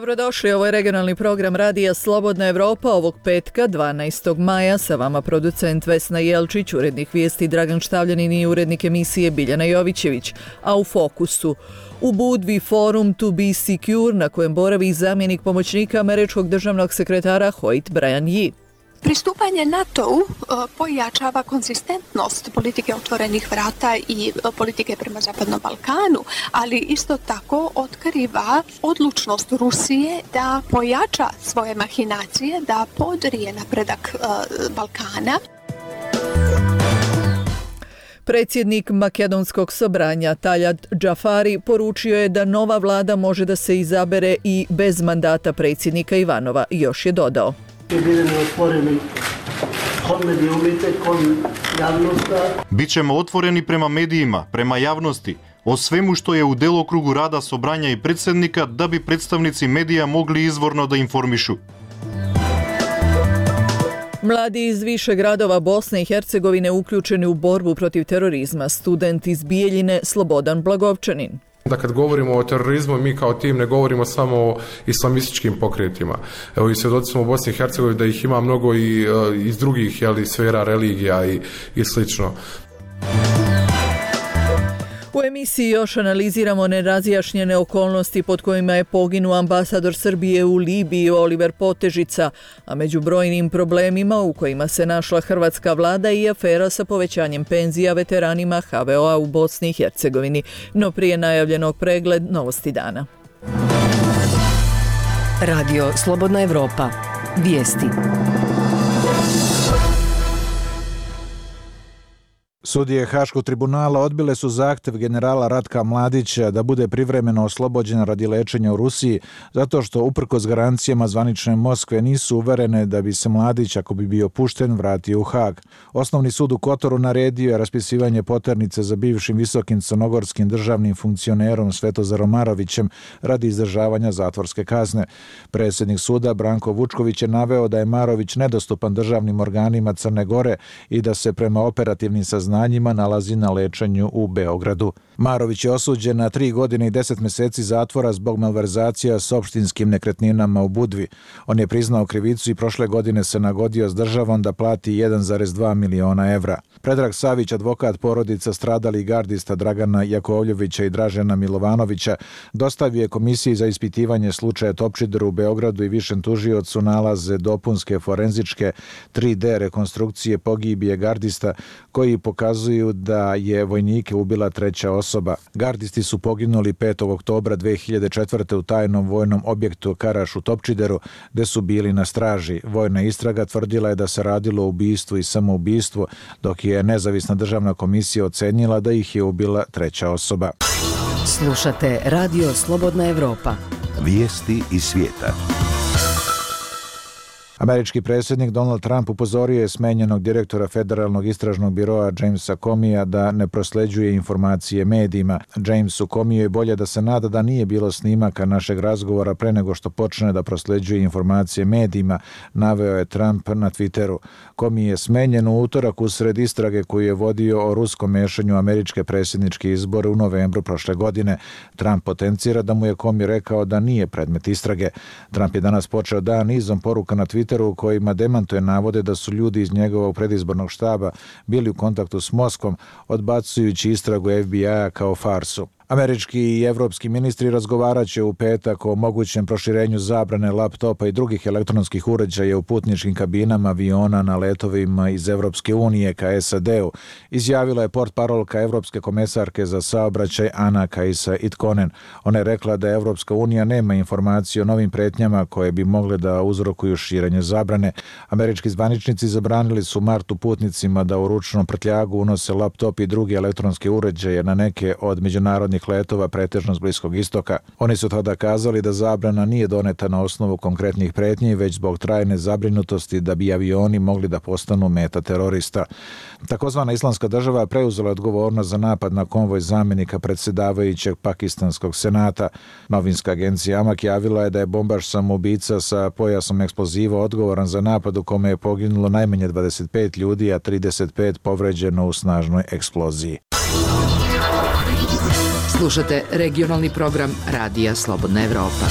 Dobrodošli, ovo je regionalni program Radija Slobodna Evropa ovog petka 12. maja. Sa vama producent Vesna Jelčić, urednik vijesti Dragan Štavljanin i urednik emisije Biljana Jovićević. A u fokusu u Budvi forum To Be Secure na kojem boravi zamjenik pomoćnika američkog državnog sekretara Hoyt Brian Yee. Pristupanje NATO-u pojačava konzistentnost politike otvorenih vrata i politike prema Zapadnom Balkanu, ali isto tako otkriva odlučnost Rusije da pojača svoje mahinacije, da podrije napredak Balkana. Predsjednik Makedonskog sobranja Taljat Džafari poručio je da nova vlada može da se izabere i bez mandata predsjednika Ivanova. Još je dodao: Bićemo otvoreni prema medijima, prema javnosti, o svemu što je u delokrugu rada sobranja i predsjednika, da bi predstavnici medija mogli izvorno da informišu. Mladi iz više gradova Bosne i Hercegovine uključeni u borbu protiv terorizma. Student iz Bijeljine Slobodan Blagovčanin. Da kad govorimo o terorizmu, mi kao tim ne govorimo samo o islamističkim pokretima. Evo i svjedoci smo u Bosni i Hercegovini da ih ima mnogo i iz drugih sfera religija i slično. U emisiji još analiziramo nerazjašnjene okolnosti pod kojima je poginuo ambasador Srbije u Libiji Oliver Potežica, a među brojnim problemima u kojima se našla hrvatska vlada i afera sa povećanjem penzija veteranima HVO-a u Bosni i Hercegovini. No prije najavljenog pregled novosti dana. Radio Slobodna Evropa. Vijesti. Sudije Haškog tribunala odbile su zahtjev generala Ratka Mladića da bude privremeno oslobođen radi lečenja u Rusiji, zato što uprkos garancijama zvanične Moskve nisu uverene da bi se Mladić, ako bi bio pušten, vratio u Hag. Osnovni sud u Kotoru naredio je raspisivanje poternice za bivšim visokim crnogorskim državnim funkcionerom Svetozarom Marovićem radi izdržavanja zatvorske kazne. Predsjednik suda Branko Vučković je naveo da je Marović nedostupan državnim organima Crne Gore i da se prema operativnim saznanjima nalazi na lečenju u Beogradu. Marović je osuđen na 3 godine i 10 mjeseci zatvora zbog malverzacija s opštinskim nekretninama u Budvi. On je priznao krivicu i prošle godine se nagodio s državom da plati 1,2 miliona evra. Predrag Savić, advokat porodica stradalih gardista Dragana Jakovljevića i Dražena Milovanovića, dostavio je komisiji za ispitivanje slučaja Topčider u Beogradu i višem tužiocu nalaze dopunske forenzičke 3D rekonstrukcije pogibije gardista koji pokazuju da je vojnike ubila treća osoba. Gardisti su poginuli 5. oktobra 2004. u tajnom vojnom objektu Karaš u Topčideru, gde su bili na straži. Vojna istraga tvrdila je da se radilo o ubistvu i samoubistvu, dok je nezavisna državna komisija ocenila da ih je ubila treća osoba. Slušate Radio Slobodna Evropa. Vijesti iz svijeta. Američki predsjednik Donald Trump upozorio je smenjenog direktora Federalnog istražnog biroa Jamesa Comeyja da ne prosleđuje informacije medijima. Jamesu Comeyju je bolje da se nada da nije bilo snimaka našeg razgovora pre nego što počne da prosleđuje informacije medijima, naveo je Trump na Twitteru. Comey je smenjen u utorak usred istrage koju je vodio o ruskom mešanju američke predsjedničke izbore u novembru prošle godine. Trump potencira da mu je Comey rekao da nije predmet istrage. Trump je danas počeo dan nizom poruka na Twitteru u kojima demantuje navode da su ljudi iz njegovog predizbornog štaba bili u kontaktu s Moskvom, odbacujući istragu FBI-a kao farsu. Američki i evropski ministri razgovarat će u petak o mogućem proširenju zabrane laptopa i drugih elektronskih uređaja u putničkim kabinama aviona na letovima iz Evropske unije ka SAD-u, izjavila je portparolka Evropske komesarke za saobraćaj Ana Kajsa Itkonen. Ona je rekla da Evropska unija nema informacije o novim pretnjama koje bi mogle da uzrokuju širenje zabrane. Američki zvaničnici zabranili su u martu putnicima da u ručnom prtljagu unose laptop i druge elektronske uređaje na neke od međunarodnih letova pretežno s Bliskog istoka. Oni su tada kazali da zabrana nije doneta na osnovu konkretnih pretnji, već zbog trajne zabrinutosti da bi avioni mogli da postanu meta terorista. Takozvana Islamska država preuzela odgovornost za napad na konvoj zamjenika predsjedavajućeg Pakistanskog senata. Novinska agencija Amak javila je da je bombaš samoubica sa pojasom eksploziva odgovoran za napad u kome je poginulo najmanje 25 ljudi, a 35 povređeno u snažnoj eksploziji. Slušate regionalni program Radija Slobodna Evropa.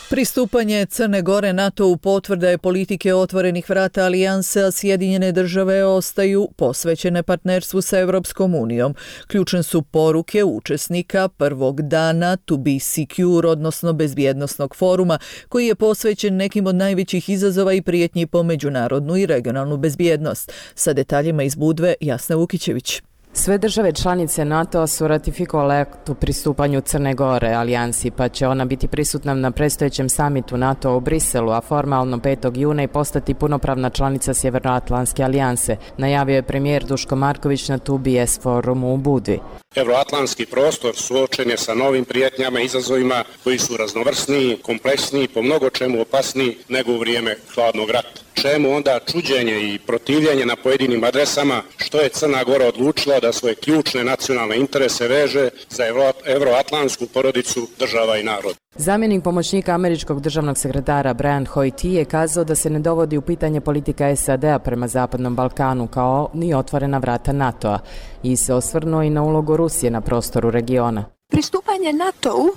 Pristupanje Crne Gore NATO-u potvrda je politike otvorenih vrata alijanse, a Sjedinjene države ostaju posvećene partnerstvu sa Europskom unijom. Ključne su poruke učesnika prvog dana To Be Secure, odnosno bezbjednosnog foruma, koji je posvećen nekim od najvećih izazova i prijetnji po međunarodnu i regionalnu bezbjednost. Sa detaljima iz Budve, Jasna Vukićević. Sve države članice NATO-a su ratifikovale akt o pristupanju Crne Gore alijansi, pa će ona biti prisutna na predstojećem samitu NATO u Briselu, a formalno 5. juna i postati punopravna članica Sjevernoatlantske alijanse, najavio je premijer Duško Marković na 2BS forumu u Budvi. Evroatlantski prostor suočen je sa novim prijetnjama i izazovima koji su raznovrsniji, kompleksniji, po mnogo čemu opasniji nego u vrijeme hladnog rata. Čemu onda čuđenje i protivljenje na pojedinim adresama, što je Crna Gora odlučila da svoje ključne nacionalne interese veže za evroatlantsku porodicu država i naroda. Zamjenik pomoćnika američkog državnog sekretara Brian Hoyt je kazao da se ne dovodi u pitanje politika SAD-a prema Zapadnom Balkanu kao ni otvorena vrata NATO-a i se osvrnuo i na ulogu Rusije na prostoru regiona. Pristupanje NATO-u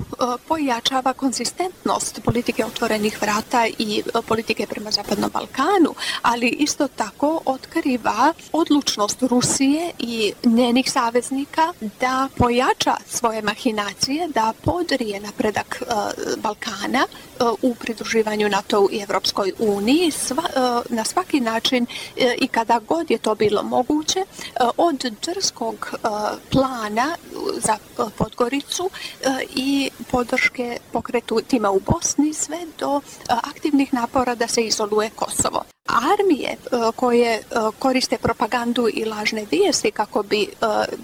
pojačava konzistentnost politike otvorenih vrata i politike prema Zapadnom Balkanu, ali isto tako otkriva odlučnost Rusije i njenih saveznika da pojača svoje mahinacije, da podrije napredak Balkana u pridruživanju NATO-u i Evropskoj uniji na svaki način i kada god je to bilo moguće, od drskog plana za Podgoricu i podrške pokretu tima u Bosni sve do aktivnih napora da se izoluje Kosovo. Armije koje koriste propagandu i lažne vijesti kako bi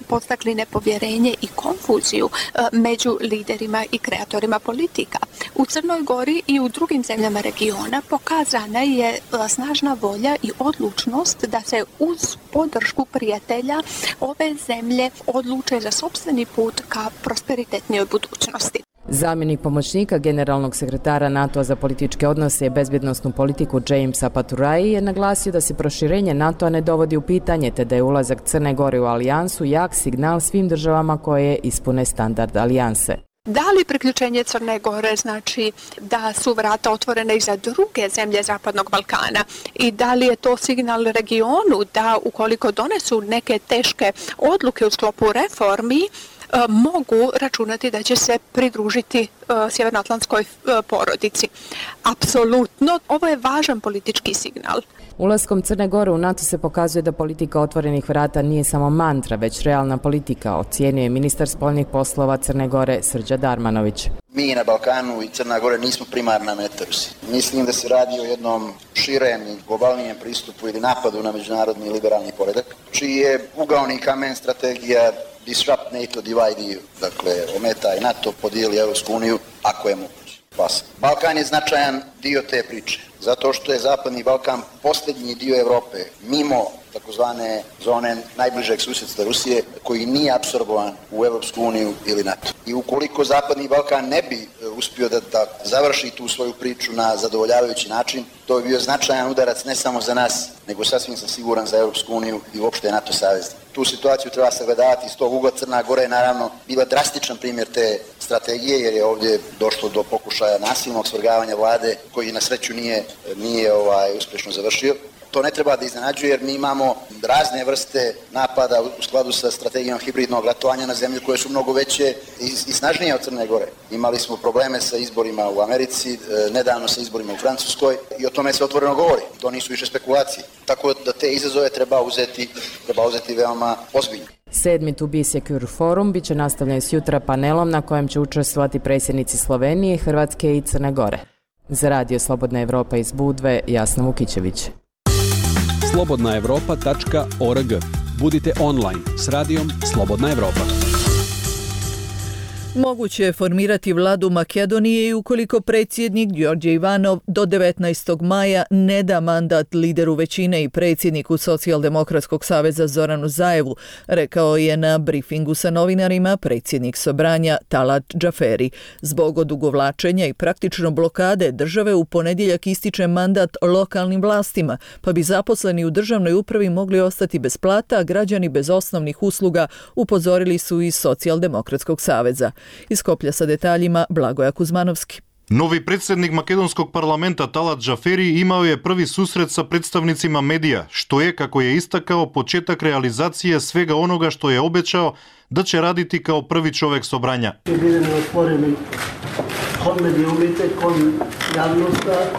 podstakli nepovjerenje i konfuziju među liderima i kreatorima politika. U Crnoj Gori i u drugim zemljama regiona pokazana je snažna volja i odlučnost da se uz podršku prijatelja ove zemlje odluče za sopstveni put ka prosperitetnijoj budućnosti. Zamjenik pomoćnika generalnog sekretara NATO-a za političke odnose i bezbjednosnu politiku Jamesa Paturai je naglasio da se proširenje NATO-a ne dovodi u pitanje, te da je ulazak Crne Gore u alijansu jak signal svim državama koje ispune standard alijanse. Da li priključenje Crne Gore znači da su vrata otvorene i za druge zemlje Zapadnog Balkana i da li je to signal regionu da ukoliko donesu neke teške odluke u sklopu reformi, mogu računati da će se pridružiti sjevernoatlantskoj porodici. Apsolutno, ovo je važan politički signal. Ulaskom Crne Gore u NATO se pokazuje da politika otvorenih vrata nije samo mantra, već realna politika, ocijenio je ministar spoljnih poslova Crne Gore Srđa Darmanović. Mi na Balkanu i Crna Gore nismo primarna meta Rusije. Mislim da se radi o jednom širem i globalnijem pristupu ili napadu na međunarodni liberalni poredak, čiji je ugaoni kamen strategija Disrupt NATO, Divide EU. Dakle, ometaj NATO, podijeli Europsku uniju, ako je moguće. Balkan je značajan dio te priče, zato što je Zapadni Balkan posljednji dio Europe, mimo takozvane zone najbližeg susjedstva Rusije, koji nije apsorbovan u Europsku uniju ili NATO. I ukoliko Zapadni Balkan ne bi uspio da završi tu svoju priču na zadovoljavajući način, to bi bio značajan udarac ne samo za nas, nego sasvim sam siguran za Europsku uniju i uopšte NATO savez. Tu situaciju treba sagledavati iz tog ugla. Crna Gora je naravno bila drastičan primjer te strategije, jer je ovdje došlo do pokušaja nasilnog svrgavanja vlade, koji na sreću nije uspješno završio. To ne treba da iznenađuje, jer mi imamo razne vrste napada u skladu sa strategijom hibridnog ratovanja na zemlje koje su mnogo veće i snažnije od Crne Gore. Imali smo probleme sa izborima u Americi, nedavno sa izborima u Francuskoj i o tome se otvoreno govori. To nisu više spekulacije. Tako da te izazove treba uzeti veoma ozbiljno. 7. To Be Secure forum bit će nastavljen sjutra panelom na kojem će učestvovati predsjednici Slovenije, Hrvatske i Crne Gore. Za Radio Slobodna Evropa iz Budve, Jasna Vukićević. slobodnaevropa.org. Budite online s radijom Slobodna Evropa. Moguće je formirati vladu Makedonije i ukoliko predsjednik Đorđe Ivanov do 19. maja ne da mandat lideru većine i predsjedniku Socijaldemokratskog saveza Zoranu Zaevu, rekao je na brifingu sa novinarima predsjednik Sobranja Talat Džaferi. Zbog odugovlačenja i praktično blokade države u ponedjeljak ističe mandat lokalnim vlastima, pa bi zaposleni u državnoj upravi mogli ostati bez plata, a građani bez osnovnih usluga, upozorili su iz Socijaldemokratskog saveza. Iz Skoplja sa detaljima Blagoja Kuzmanovski. Novi predsednik makedonskog parlamenta Талат Джафери имao je prvi susret sa predstavnicima medija, što je, kako je istakao, početak realizacije svega onoga što je obećao da će raditi kao prvi čovek sobranja.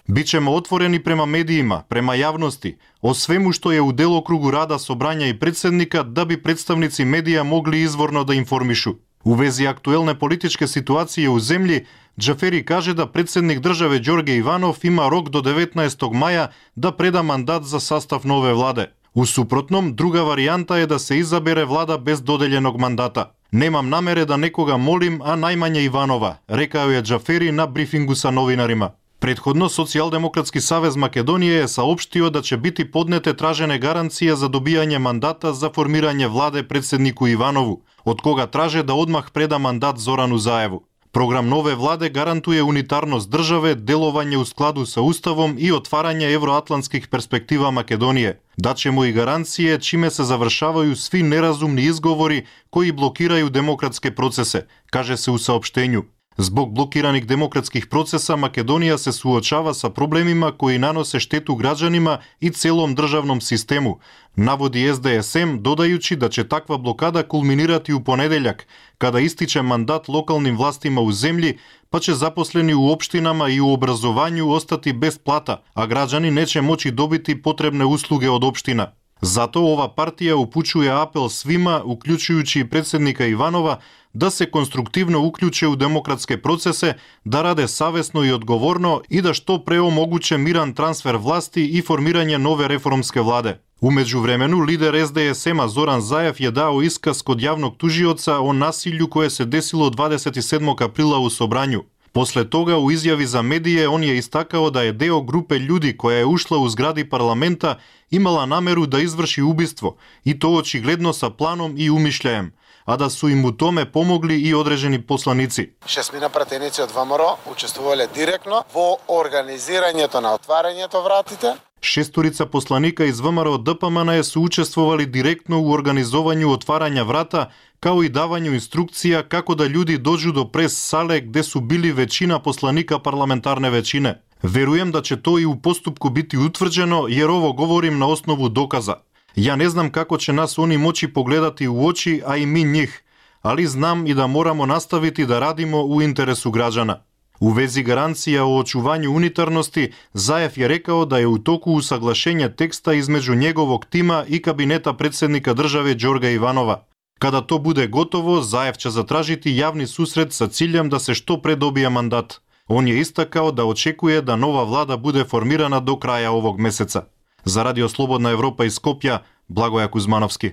Bićemo otvoreni prema medijima, prema javnosti, o svemu što je u delokrugu rada sobranja i predsednika da bi predstavnici medija mogli izvorno da informišu. U vezi aktuelne političke situacije u zemlji, Джафери каже да председник државе Ѓорге Иванов има рок до 19. маја да преда мандат за састав нове владе. У супротном, друга варијанта е да се изабере влада без доделjenog мандата. Немам намере да некога молим, а најмање Иванова, рекао е Джафери на брифингу са новинарима. Предходно, Социјалдемократски савез Македонија е саопштио да ќе бити поднете тражене гаранција за добијање мандата за формирање владе председнику Иванову, од кога траже да одмах преда мандат Зорану Заеву. Програм нове владе гарантуе унитарност државе, деловање у складу со уставом и отварање евроатлантских перспектива Македонија. Дачемо и гаранције чиме се завршавају сви неразумни изговори кои блокирају демократске процесе, каже се у саопштењу. Због блокираних демократских процеса Македонија се суочава са проблемима кои наносе штету граѓанима и целом државном систему, наводи СДСМ, додајучи да ќе таква блокада кулминирати у понеделјак, када истиче мандат локалним властима у земји, па ќе запослени у општинама и у образованју остати без плата, а граѓани не ќе моќи добити потребне услуги од општина. Затоа ова партија упучува апел свима, уклучујучи и председника Иванова, да се конструктивно уклуче у демократске процесе, да раде савесно и одговорно и да што пре омогуче миран трансфер власти и формирање нове реформске владе. У меѓувремену, лидер СДСМ Зоран Заев ја дао исказ код јавног тужиоца о насилју кое се десило 27. априла у собрању. После тога, у изјави за медије, он ја истакао да е део групе људи која е ушла у згради парламента имала намеру да изврши убиство, и тоа очигледно са планом и умишљаем, а да су им у томе помогли и одредени посланици. Шестмина пратеници од ВМРО учествувале директно во организирањето на отварањето вратите. Шесторица посланика из ВМРО ДПМН се учествували директно у организувању отварања врата, као и давању инструкција како да људи доđu до прес сале где су били веćina посланика парламентарне веćine. Веруjem да ќе тоа и у поступку бити утврđено, jer ovo govorim na osnovu dokaza. Ja ne znam kako će nas oni moći pogledati u oči, a i mi njih, ali znam i da moramo nastaviti da radimo u interesu građana. U vezi garancija o očuvanju unitarnosti, Zaev je rekao da je u toku usaglašenja teksta između njegovog tima i kabineta predsednika države Ѓорга Иванова. Kada to bude gotovo, Zaev će zatražiti javni susret sa ciljem da se što pre dobije mandat. On je istakao da očekuje da nova vlada bude formirana do kraja ovog meseca. Za Radio Slobodna Evropa iz Skopja, Blagoja Kuzmanovski.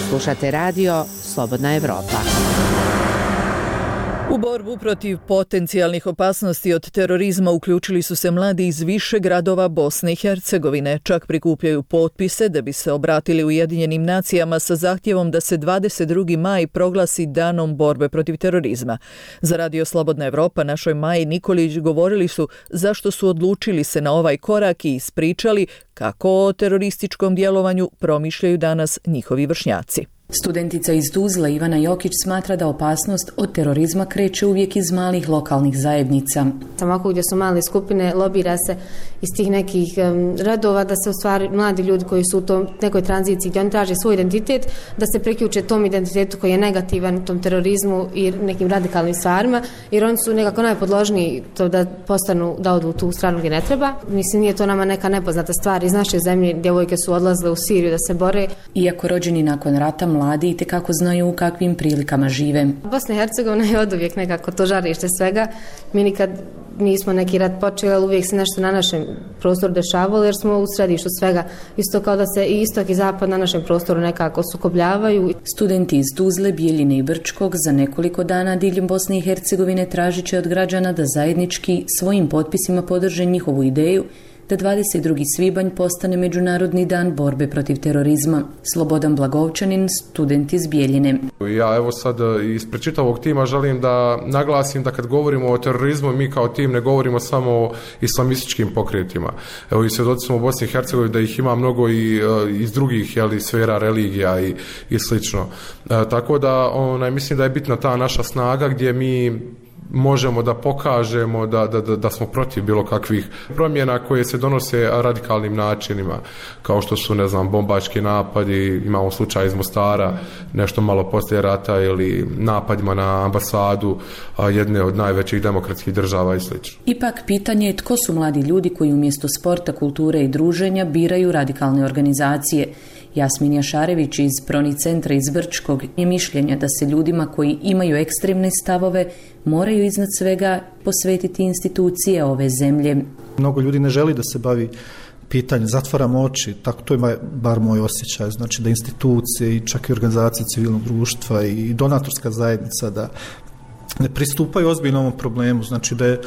Slušate Radio Slobodna Evropa. U borbu protiv potencijalnih opasnosti od terorizma uključili su se mladi iz više gradova Bosne i Hercegovine. Čak prikupljaju potpise da bi se obratili Ujedinjenim nacijama sa zahtjevom da se 22. maj proglasi danom borbe protiv terorizma. Za Radio Slobodna Evropa našoj Maji Nikolić govorili su zašto su odlučili se na ovaj korak i ispričali kako o terorističkom djelovanju promišljaju danas njihovi vršnjaci. Studentica iz Tuzle Ivana Jokić smatra da opasnost od terorizma kreće uvijek iz malih lokalnih zajednica. Ovako gdje su male skupine, lobira se iz tih nekih radova da se u stvari mladi ljudi koji su u tom nekoj tranziciji gdje oni traže svoj identitet, da se priključe tom identitetu koji je negativan, tom terorizmu i nekim radikalnim stvarima, jer oni su nekako najpodložniji to da postanu, da odu u tu stranu gdje ne treba. Mislim, nije to nama neka nepoznata stvar. Iz naše zemlje djevojke su odlazile u Siriju da se bore. Iako rođeni nakon rata, mladi itekako znaju u kakvim prilikama žive. Bosna i Hercegovina je oduvijek nekako to žarište svega. Mi nikad nismo neki rat počeli, ali uvijek se nešto na našem prostoru dešavalo jer smo u središtu svega. Isto kao da se i istok i zapad na našem prostoru nekako sukobljavaju. Studenti iz Tuzle, Bijeljine i Brčkog za nekoliko dana diljem Bosne i Hercegovine tražit će od građana da zajednički svojim potpisima podrže njihovu ideju da 22. svibanj postane Međunarodni dan borbe protiv terorizma. Slobodan Blagovčanin, student iz Bijeljine. Ja evo sad ispred čitavog tima želim da naglasim da kad govorimo o terorizmu, mi kao tim ne govorimo samo o islamističkim pokretima. Evo i svjedoci smo u Bosni i Hercegovini da ih ima mnogo i iz drugih sfera religija i slično. Tako da mislim da je bitna ta naša snaga gdje mi možemo da pokažemo da smo protiv bilo kakvih promjena koje se donose radikalnim načinima, kao što su, bombački napadi, imamo slučaj iz Mostara, nešto malo poslije rata, ili napadima na ambasadu jedne od najvećih demokratskih država i sl. Ipak pitanje je tko su mladi ljudi koji umjesto sporta, kulture i druženja biraju radikalne organizacije. Jasmin Jašarević iz Proni centra iz Brčkog je mišljenja da se ljudima koji imaju ekstremne stavove moraju iznad svega posvetiti institucije ove zemlje. Mnogo ljudi ne želi da se bavi pitanje, zatvaramo oči, tako to je bar moj osjećaj, znači da institucije i čak i organizacije civilnog društva i donatorska zajednica da ne pristupaju ozbiljno ovom problemu, znači da je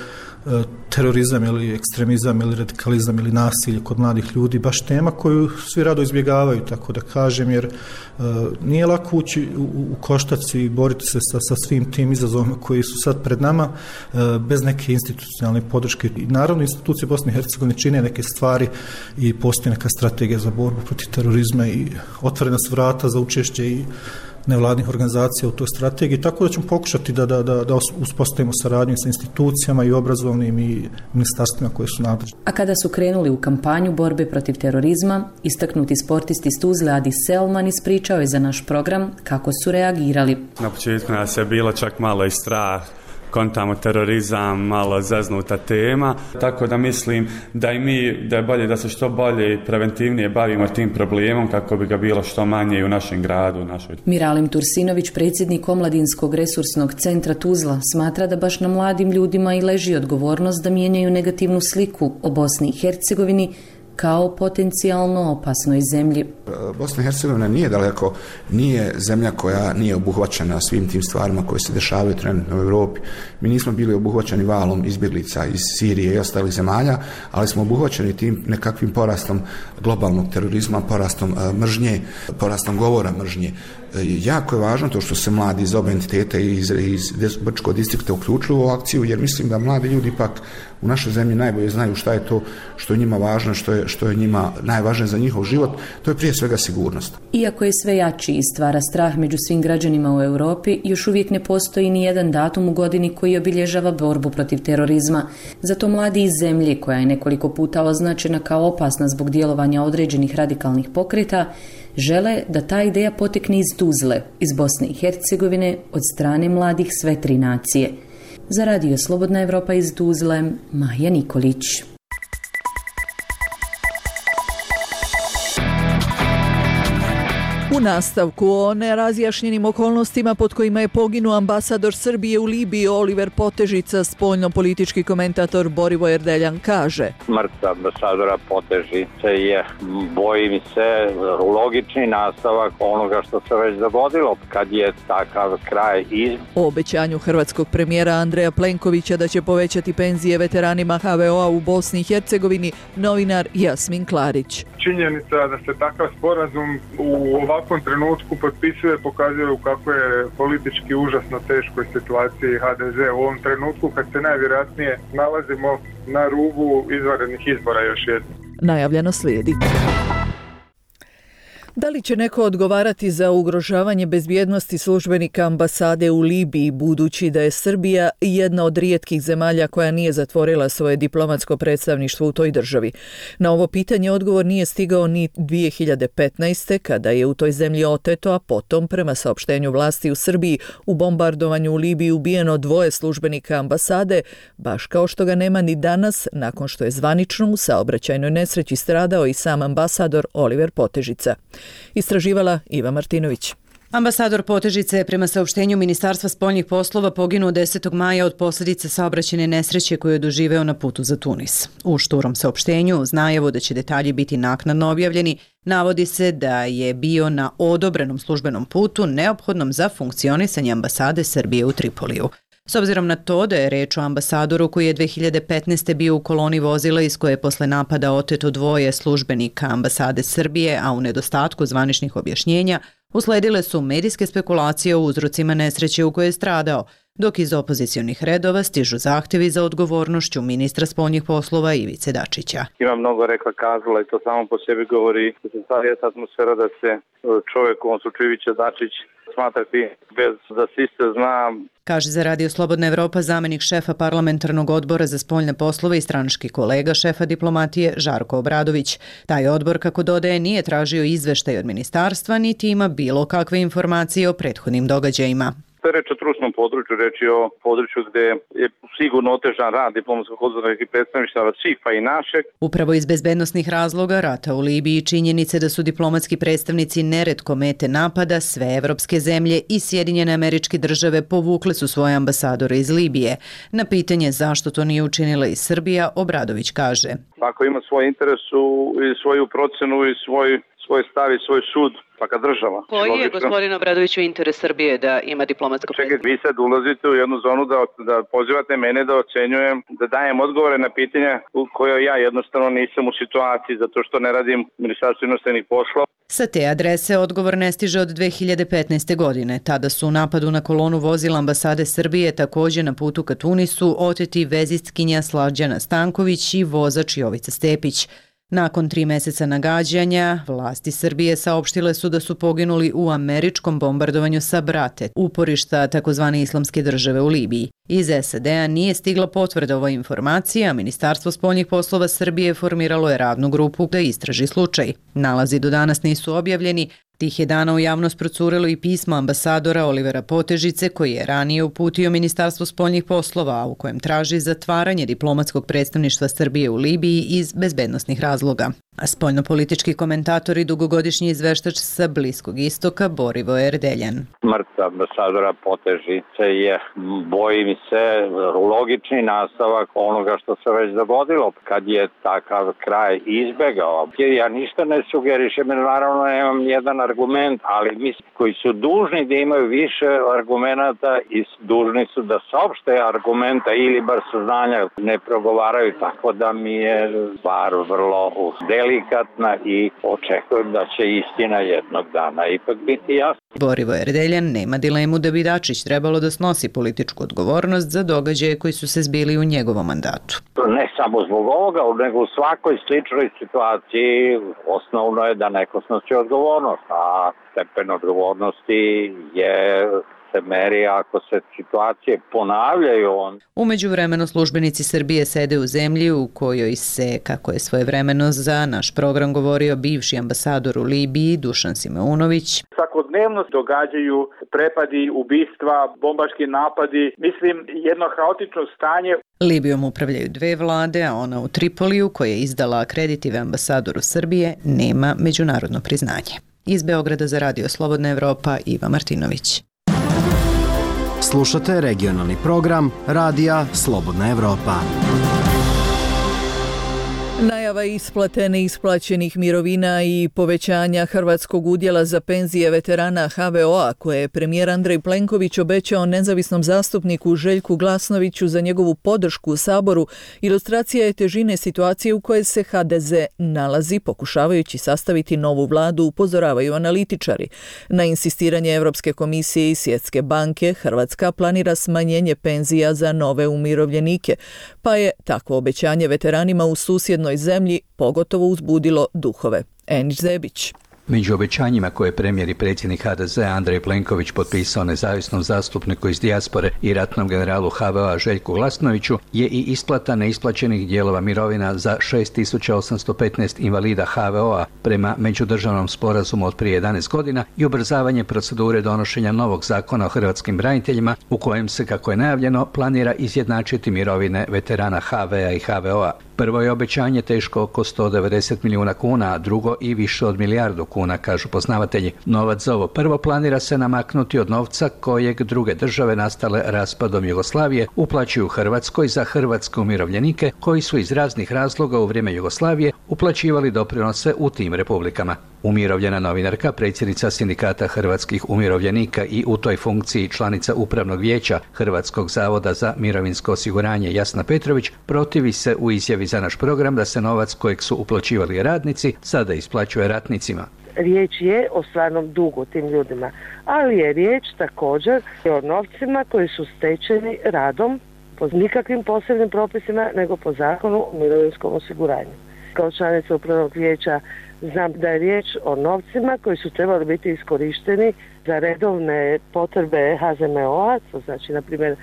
terorizam ili ekstremizam ili radikalizam ili nasilje kod mladih ljudi baš tema koju svi rado izbjegavaju, tako da kažem, jer nije lako ući u koštac i boriti se sa svim tim izazovima koji su sad pred nama bez neke institucionalne podrške. I naravno institucije Bosne i Hercegovine čine neke stvari i postoji neka strategija za borbu protiv terorizma i otvorena su vrata za učešće i nevladnih organizacija u toj strategiji, tako da ćemo pokušati da uspostavimo saradnju sa institucijama i obrazovnim i ministarstvima koje su nadležne. A kada su krenuli u kampanju borbe protiv terorizma, istaknuti sportisti iz Tuzle Adi Selman ispričao je za naš program kako su reagirali. Na početku nas je bilo čak malo i strah, kontamo terorizam, malo zeznuta tema, tako da mislim da i mi, da je bolje da se što bolje i preventivnije bavimo tim problemom kako bi ga bilo što manje i u našem gradu. Miralim Tursinović, predsjednik Omladinskog resursnog centra Tuzla, smatra da baš na mladim ljudima i leži odgovornost da mijenjaju negativnu sliku o Bosni i Hercegovini kao potencijalno opasnoj zemlji. Bosna i Hercegovina nije daleko, nije zemlja koja nije obuhvaćena svim tim stvarima koje se dešavaju trenutno u Europi. Mi nismo bili obuhvaćeni valom izbjeglica iz Sirije i ostalih zemalja, ali smo obuhvaćeni tim nekakvim porastom globalnog terorizma, porastom mržnje, porastom govora mržnje. Jako je važno to što se mladi iz oba entiteta i iz Brčkog distrikta uključuju u akciju, jer mislim da mladi ljudi ipak u našoj zemlji najbolje znaju šta je to što je njima važno, što je njima najvažnije za njihov život, to je prije svega sigurnost. Iako je sve jači i stvara strah među svim građanima u Europi, još uvijek ne postoji ni jedan datum u godini koji obilježava borbu protiv terorizma. Zato mladi iz zemlje, koja je nekoliko puta označena kao opasna zbog djelovanja određenih radikalnih pokreta, žele da ta ideja potekne iz Tuzle, iz Bosne i Hercegovine, od strane mladih sve tri nacije. Za Radio Slobodna Evropa iz Tuzle, Maja Nikolić. U nastavku o nerazjašnjenim okolnostima pod kojima je poginuo ambasador Srbije u Libiji Oliver Potežica, spoljno-politički komentator Borivoje Erdeljan kaže: Smrt ambasadora Potežice je, bojim se, logični nastavak onoga što se već dogodilo kad je takav kraj iz. O obećanju hrvatskog premijera Andreja Plenkovića da će povećati penzije veteranima HVO-a u Bosni i Hercegovini, novinar Jasmin Klarić. Činjenica da se takav sporazum u ovakvom trenutku potpisuje pokazuje u kako je politički užasno teškoj situaciji HDZ u ovom trenutku kad se najvjerojatnije nalazimo na rubu izvanrednih izbora još jednom. Najavljeno slijedi. Da li će neko odgovarati za ugrožavanje bezbjednosti službenika ambasade u Libiji, budući da je Srbija jedna od rijetkih zemalja koja nije zatvorila svoje diplomatsko predstavništvo u toj državi? Na ovo pitanje odgovor nije stigao ni 2015. kada je u toj zemlji oteto, a potom, prema saopštenju vlasti u Srbiji, u bombardovanju u Libiji ubijeno 2 službenika ambasade, baš kao što ga nema ni danas, nakon što je zvanično u saobraćajnoj nesreći stradao i sam ambasador Oliver Potežica. Istraživala Iva Martinović. Ambasador Potežice je prema saopštenju Ministarstva spoljnih poslova poginuo 10. maja od posljedice saobraćajne nesreće koju je doživeo na putu za Tunis. U šturom saopštenju, uz najavu da će detalji biti naknadno objavljeni, navodi se da je bio na odobrenom službenom putu neophodnom za funkcionisanje ambasade Srbije u Tripoliju. S obzirom na to da je reč o ambasadoru koji je 2015. bio u koloni vozila iz koje je posle napada oteto 2 službenika ambasade Srbije, a u nedostatku zvaničnih objašnjenja, usledile su medijske spekulacije o uzrocima nesreće u kojoj je stradao, dok iz opozicionih redova stižu zahtjevi za odgovornošću ministra spoljnih poslova Ivice Dačića. Ima mnogo rekla kazala i to samo po sebi govori da se stvari atmosfera da se čovjek, u ovom slučaju Ivica Dačić, smatrati bez da se isto zna. Kaže za Radio Slobodna Evropa zamjenik šefa parlamentarnog odbora za spoljne poslove i stranački kolega šefa diplomatije Žarko Obradović. Taj odbor, kako dodaje, nije tražio izveštaj od ministarstva, niti ima bilo kakve informacije o prethodnim događajima. To je reč o trusnom području, reč je o području gdje je sigurno otežan rad diplomatskog konzularnih i predstavništava svih, pa i našeg. Upravo iz bezbednosnih razloga rata u Libiji i činjenice da su diplomatski predstavnici neretko mete napada, sve evropske zemlje i Sjedinjene Američke Države povukle su svoje ambasadore iz Libije. Na pitanje zašto to nije učinila i Srbija, Obradović kaže: Ako ima svoj interes i svoju procenu i svoj stav i svoj sud, svaka država. Koji je, gospodin Obradoviću, interes Srbije da ima diplomatsko predstavništvo? Čekaj, vi sad ulazite u jednu zonu da pozivate mene da ocenjujem, da dajem odgovore na pitanja u kojoj ja jednostavno nisam u situaciji zato što ne radim Ministarstvo inostranih poslova. Sa te adrese odgovor ne stiže od 2015. godine. Tada su u napadu na kolonu vozila ambasade Srbije također na putu ka Tunisu oteti vezistkinja Slađana Stanković i vozač Jovica Stepić. Nakon 3 mjeseca nagađanja, vlasti Srbije saopštile su da su poginuli u američkom bombardovanju Sabrate, uporišta tzv. Islamske države u Libiji. Iz SAD-a nije stigla potvrda ovoj informaciji, a Ministarstvo spoljnih poslova Srbije formiralo je radnu grupu da istraži slučaj. Nalazi do danas nisu objavljeni. Tih je dana u javnost procurilo i pismo ambasadora Olivera Potežice, koji je ranije uputio Ministarstvo spoljnih poslova, a u kojem traži zatvaranje diplomatskog predstavništva Srbije u Libiji iz bezbednosnih razloga. A spoljnopolitički komentator i dugogodišnji izveštač sa Bliskog istoka Borivoje Erdeljan. Smrt ambasadora Potežice je, bojim se, logični nastavak onoga što se već dogodilo kad je takav kraj izbegao. Ja ništa ne sugerišem, naravno nemam jedan argument, ali mislim koji su dužni da imaju više argumenata i dužni su da saopšte argumenta ili bar saznanja ne progovaraju, tako da mi je stvar vrlo delikatna i očekujem da će istina jednog dana ipak biti jasna. Borivoje Erdeljan nema dilemu da bi Dačić trebalo da snosi političku odgovornost za događaje koji su se zbili u njegovom mandatu. Ne samo zbog ovoga, nego u svakoj sličnoj situaciji osnovno je da neko snosi odgovornost, a stepen odgovornosti se meri ako se situacije ponavljaju. U međuvremenu službenici Srbije sede u zemlji u kojoj se, kako je svojevremeno za naš program govorio bivši ambasador u Libiji Dušan Simeunović, svakodnevno događaju prepadi, ubistva, bombaški napadi, mislim jedno haotično stanje. Libijom upravljaju 2 vlade, a ona u Tripoliju, koja je izdala akreditive ambasadoru Srbije, nema međunarodno priznanje. Iz Beograda za Radio Slobodna Evropa, Iva Martinović. Slušate regionalni program Radija Slobodna Evropa. Najava isplate neisplaćenih mirovina i povećanja hrvatskog udjela za penzije veterana HVO-a koje je premijer Andrej Plenković obećao nezavisnom zastupniku Željku Glasnoviću za njegovu podršku u Saboru, ilustracija je težine situacije u kojoj se HDZ nalazi pokušavajući sastaviti novu vladu, upozoravaju analitičari. Na insistiranje Europske komisije i Svjetske banke, Hrvatska planira smanjenje penzija za nove umirovljenike, pa je takvo obećanje veteranima u susjednoj zemlji pogotovo uzbudilo duhove. Enić Zebić. Među obećanjima koje je premijer i predsjednik HDZ Andrej Plenković potpisao nezavisnom zastupniku iz dijaspore i ratnom generalu HVO-a Željku Glasnoviću je i isplata neisplaćenih dijelova mirovina za 6815 invalida HVO-a prema međudržavnom sporazumu od prije 11 godina i ubrzavanje procedure donošenja novog zakona o hrvatskim braniteljima u kojem se, kako je najavljeno, planira izjednačiti mirovine veterana HV-a i HVO-a. Prvo je obećanje teško oko 190 milijuna kuna, a drugo i više od milijardu kuna, kažu poznavatelji. Novac za ovo prvo planira se namaknuti od novca kojeg druge države nastale raspadom Jugoslavije uplaćuju Hrvatskoj za hrvatske umirovljenike koji su iz raznih razloga u vrijeme Jugoslavije uplaćivali doprinose u tim republikama. Umirovljena novinarka, predsjednica Sindikata hrvatskih umirovljenika i u toj funkciji članica Upravnog vijeća Hrvatskog zavoda za mirovinsko osiguranje Jasna Petrović protivi se u izjavi za naš program da se novac kojeg su uplaćivali radnici sada isplaćuje ratnicima. riječ je o stvarnom dugu tim ljudima, ali je riječ također o novcima koji su stečeni radom po nikakvim posebnim propisima, nego po zakonu o mirovinskom osiguranju. Kao članica upravnog vijeća znam da je riječ o novcima koji su trebali biti iskorišteni za redovne potrebe HZMO-a, to znači na primjer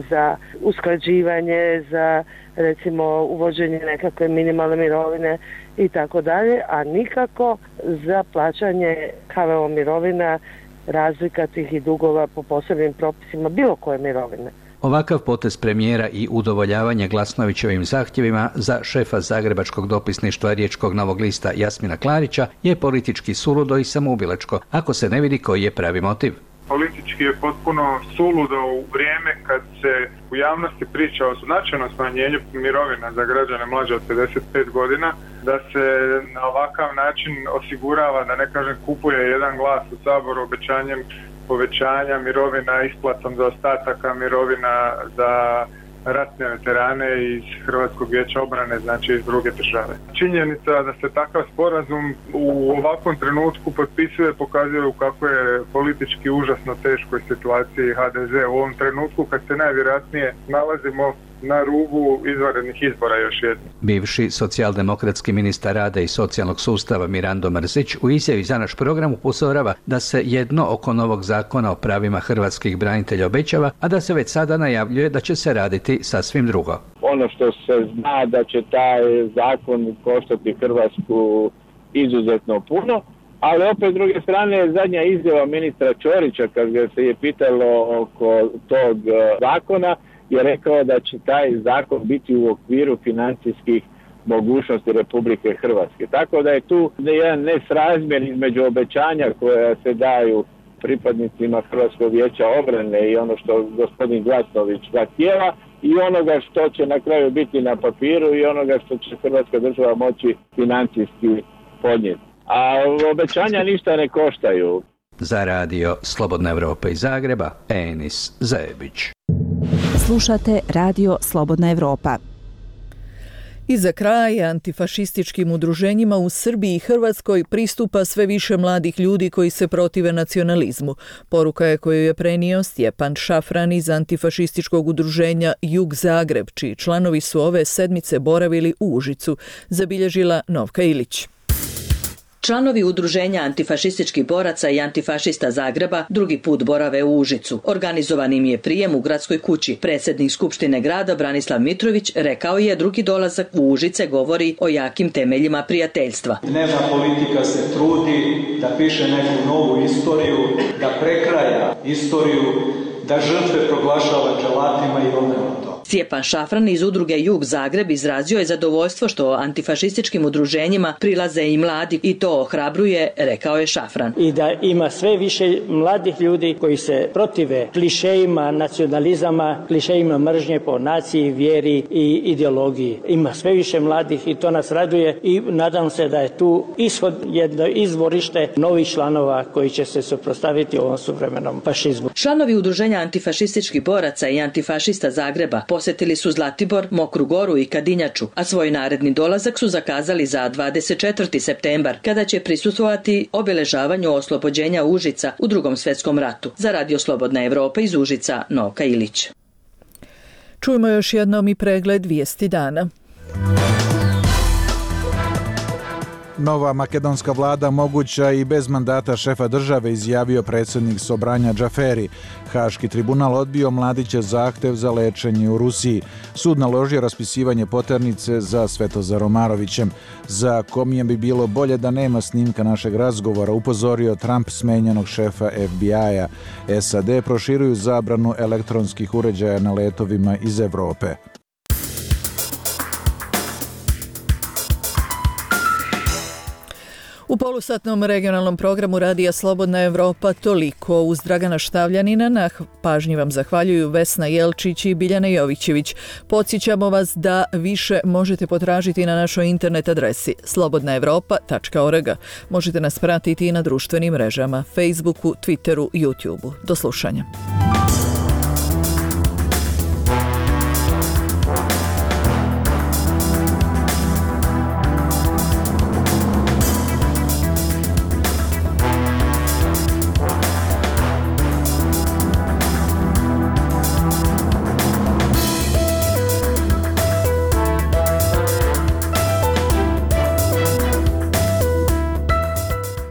za usklađivanje, za recimo uvođenje nekakve minimalne mirovine i tako dalje, a nikako za plaćanje HVO mirovina, razlika tih i dugova po posebnim propisima bilo koje mirovine. Ovakav potez premijera i udovoljavanje Glasnovićevim zahtjevima za šefa zagrebačkog dopisništva Riječkog Novog lista Jasmina Klarića je politički suludo i samoubilačko, ako se ne vidi koji je pravi motiv. Politički je potpuno suludo u vrijeme kad se u javnosti priča o značajnom smanjenju mirovina za građane mlađe od 55 godina, da se na ovakav način osigurava, da ne kažem kupuje jedan glas u Saboru obećanjem povećanja mirovina, isplatom za ostataka mirovina za ratne veterane iz Hrvatskog vijeća obrane, znači iz druge države. Činjenica da se takav sporazum u ovakvom trenutku potpisuje pokazuje u kako je politički užasno teškoj situaciji HDZ u ovom trenutku kad se najvjerojatnije nalazimo na rubu izvanrednih izbora još jednom. Bivši socijaldemokratski ministar rada i socijalnog sustava Mirando Mrsić u izjavi za naš program upozorava da se jedno oko novog zakona o pravima hrvatskih branitelja obećava, a da se već sada najavljuje da će se raditi sasvim drugo. Ono što se zna da će taj zakon koštati Hrvatsku izuzetno puno, ali opet s druge strane zadnja izjava ministra Ćorića kad ga se je pitalo oko tog zakona je rekao da će taj zakon biti u okviru financijskih mogućnosti Republike Hrvatske. Tako da je tu jedan nesrazmjer između obećanja koja se daju pripadnicima Hrvatskog vijeća obrane i ono što gospodin Glasnović zahtijeva i onoga što će na kraju biti na papiru i onoga što će Hrvatska država moći financijski podnijeti. A obećanja ništa ne koštaju. Za radio Slobodna Evropa iz Zagreba, Enis Zajebić. Slušate Radio Slobodna Evropa. I za kraj, antifašističkim udruženjima u Srbiji i Hrvatskoj pristupa sve više mladih ljudi koji se protive nacionalizmu. Poruka je koju je prenio Stjepan Šafran iz antifašističkog udruženja Jug Zagreb, čiji članovi su ove sedmice boravili u Užicu, zabilježila Novka Ilić. Članovi udruženja antifašističkih boraca i antifašista Zagreba drugi put borave u Užicu. Organizovan im je prijem u gradskoj kući. Predsjednik Skupštine grada Branislav Mitrović rekao je drugi dolazak u Užice govori o jakim temeljima prijateljstva. Dnevna politika se trudi da piše neku novu istoriju, da prekraja istoriju, da žrtve proglašava dželatima i obrnuto. Stjepan Šafran iz udruge Jug Zagreb izrazio je zadovoljstvo što antifašističkim udruženjima prilaze i mladi i to ohrabruje, rekao je Šafran. I da ima sve više mladih ljudi koji se protive klišejima nacionalizama, klišejima mržnje po naciji, vjeri i ideologiji. Ima sve više mladih i to nas raduje i nadam se da je tu ishod jedno izvorište novih članova koji će se suprotstaviti ovom suvremenom fašizmu. Članovi udruženja antifašističkih boraca i antifašista Zagreba posjetili su Zlatibor, Mokru Goru i Kadinjaču, a svoj naredni dolazak su zakazali za 24. septembar, kada će prisustvovati obilježavanju oslobođenja Užica u Drugom svjetskom ratu. Za Radio Slobodna Evropa iz Užica, Novka Ilić. Čujmo još jednom i pregled vijesti dana. Nova makedonska vlada moguća i bez mandata šefa države, izjavio predsjednik Sobranja Džaferi. Haški tribunal odbio Mladićev zahtev za lečenje u Rusiji. Sud naložio raspisivanje poternice za Svetozarom Marovićem. Za Komijem bi bilo bolje da nema snimka našeg razgovora, upozorio Trump smenjenog šefa FBI-a. SAD proširuju zabranu elektronskih uređaja na letovima iz Evrope. U polusatnom regionalnom programu Radija Slobodna Evropa toliko. Uz Dragana Štavljanina na pažnji vam zahvaljuju Vesna Jelčić i Biljana Jovićević. Podsjećamo vas da više možete potražiti na našoj internet adresi slobodnaevropa.org. Možete nas pratiti i na društvenim mrežama, Facebooku, Twitteru, YouTubeu. Do slušanja.